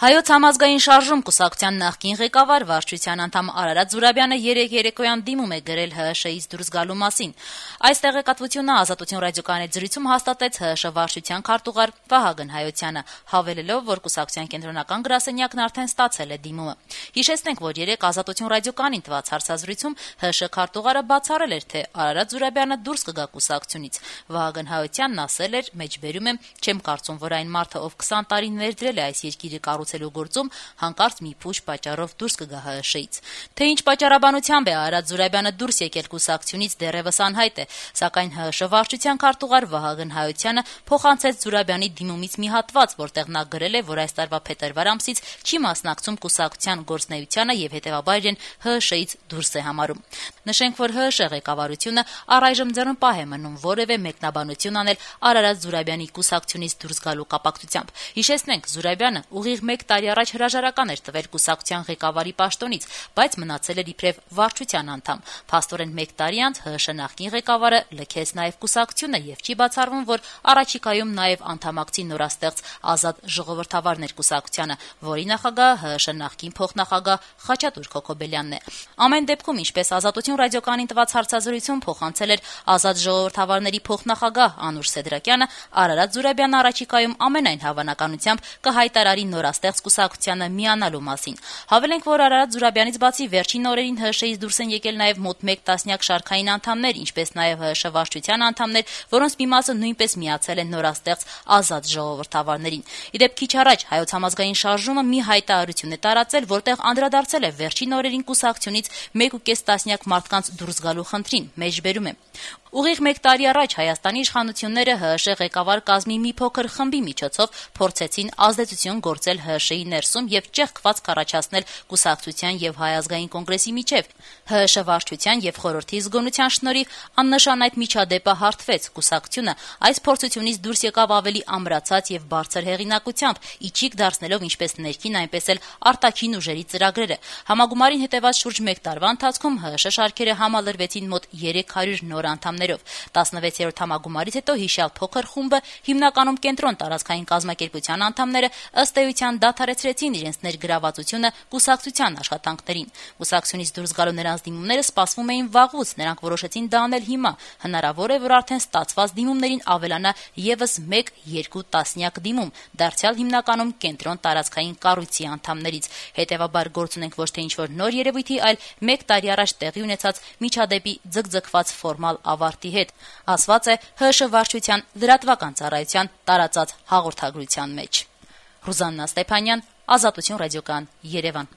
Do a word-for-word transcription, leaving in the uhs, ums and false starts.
Հայոց համազգային շարժում կուսակցության նախկին ղեկավար վարչության անդամ Արարատ Զուրաբյանը երեկ երեկոյան դիմում է գրել ՀՀՇ-ից դուրս գալու մասին։ Այս տեղեկատվությունը Ազատություն ռադիոկայանի զրույցում հաստատեց ՀՀՇ վարչության քարտուղար Վահագն Հայոցյանը, հավելելով, որ կուսակցության կենտրոնական գրասենյակն արդեն ստացել է դիմումը։ Հիշեցնենք, որ երեկ Ազատություն ռադիոկայանին տված հարցազրույցում ՀՀՇ քարտուղարը բացառել էր, թե Արարատ Զուրաբյանը դուրս կգա կուսակցությունից։ Վահագն Հայոցյանն ասել էր, մեջբերում եմ, չեմ կարծում, որ այն մարդը, ով քսան տարի ներդրել է այս երկիրը կառուցելու գործում, հանկարծ մի փուշ պատճառով դուրս կգա ՀՀՇ-ից։ Թե ինչ պատճառաբանությամբ է Արարատ Զուրաբյանը դուրս եկել կուսակցությունից դեռևս անհայտ է, սակայն ՀՀՇ վարչության քարտուղար Վահագն Հայոցյանը փոխանցեց Զուրաբյանի դիմումից մի հատված, որտեղ նա գրել է, որ այս տարվա փետրվար ամսից չի մասնակցում կուսակցության գործունեությանը եւ հետեւաբար իրեն ՀՀՇ-ից դուրս է համարում։ Նշենք, որ ՀՀՇ ղեկավարությունը առայժմ ձեռնպահ է մնում որևէ մեկնաբանություն անել Արարատ Զուրաբյանի կուսակցությունից դուրս գալու կապակցությամբ։ Հիշեցնենք, Զուրաբյանը ուղիղ մեկ տարի առաջ հրաժարական էր տվել կուսակցության ղեկավարի պաշտոնից, բայց մնացել էր իբրև վարչության անդամ։ Փաստորեն մեկ տարի անց ՀՀՇ նախկին ղեկավարը լքեց նաև կուսակցությունը եւ չի բացառվում, որ առաջիկայում նաև անդամակցի նորաստեղծ Ազատ ժողովրդավարներ կուսակցությանը, որի նախագահը ՀՀՇ նախկին փոխնախագահ Խաչատուր Քոքոբելյանն է։ Ամեն դեպքում, ինչպես Ազատություն ռադիոկայանին տված հարցազրույցում փոխանցել էր Ազատ ժողովրդավարների փոխնախագահ Անուշ Սեդրակյանը, Արարատ Զուրաբյանը առաջիկայում ամենայն հավանականությամբ կհայտարարի նորաստեղծ կուսակցությանը միանալու մասին։ Հավելենք, որ Արարատ Զուրաբյանից բացի վերջին օրերին ՀՀՇ-ից դուրս են եկել նաև մոտ մեկ տասնյակ շարքային անդամներ, ինչպես նաև ՀՀՇ վարչության անդամներ, որոնց մի մասը նույնպես միացել են նորաստեղծ Ազատ ժողովրդավարներին։ Իդեպ քիչ առաջ Հայոց համազգային շարժումը մի հայտարարություն է տարածել, որտեղ անդրադարձել է վերջին օրերին կուսակցությունից մեկ ու կես տասնյակ մարդկանց դուրս գալու խնդրին, մեջբերում է։ Ուղիղ մեկ տարի առաջ Հայաստանի իշխանությունները ՀՀՇ ղեկավար կազմի մի փոքր խմբի միջոցով փորձեցին ազդեցություն գործել ՀՀՇ-ի ներսում եւ ճեղքված կառաջացնել կուսակցության եւ Հայ ազգային կոնգրեսի միջեւ։ ՀՀՇ վարչության եւ խորհրդի զգոնության շնորհիվ աննշան այդ միջադեպը հարթվեց։ Կուսակցությունը այս փորձությունից դուրս եկավ ավելի ամրացած եւ բարձր հեղինակությամբ, իջիկ դարձնելով ինչպես ներքին, այնպես էլ արտաքին ուժերի ծրագրերը։ Համագումարին հետեւած շուրջ մեկ տարվա ընթացքում ՀՀՇ շարքերը համալրվեցին մոտ երեք հարյուր նոր անդամներով։ տասնվեցերորդ համագումարից հետո հիշյալ փոքր խումբը, հիմնականում կենտրոն տարածքային կազմակերպության անդամները, ըստ էության դադարեցրեցին իրենց ներգրավվածությունը կուսակցության աշխատանքներին։ Կուսակցությունից դուրս գալու նրանց դիմումները սպասվում էին վաղուց, նրանք որոշեցին դա անել հիմա։ Հնարավոր է, որ արդեն ստացված դիմումներին ավելանա եւս մեկ-երկու տասնյակ դիմում, դարձյալ հիմնականում կենտրոն տարածքային կառույցի անդամներից։ Հետևաբար գործ ունենք ոչ թե ինչ-որ նոր երևույթի, այլ մեկ տարի առաջ տեղի ունեցած միջադեպի ձգձգված ֆորմալ ավարտի հետ, ասված է ՀՀՇ վարչության լրատվական ծառայության տարածած հաղորդագրության մեջ։ Ռուզաննա Ստեփանյան, Ազատություն ռադիոկայան, Երևան։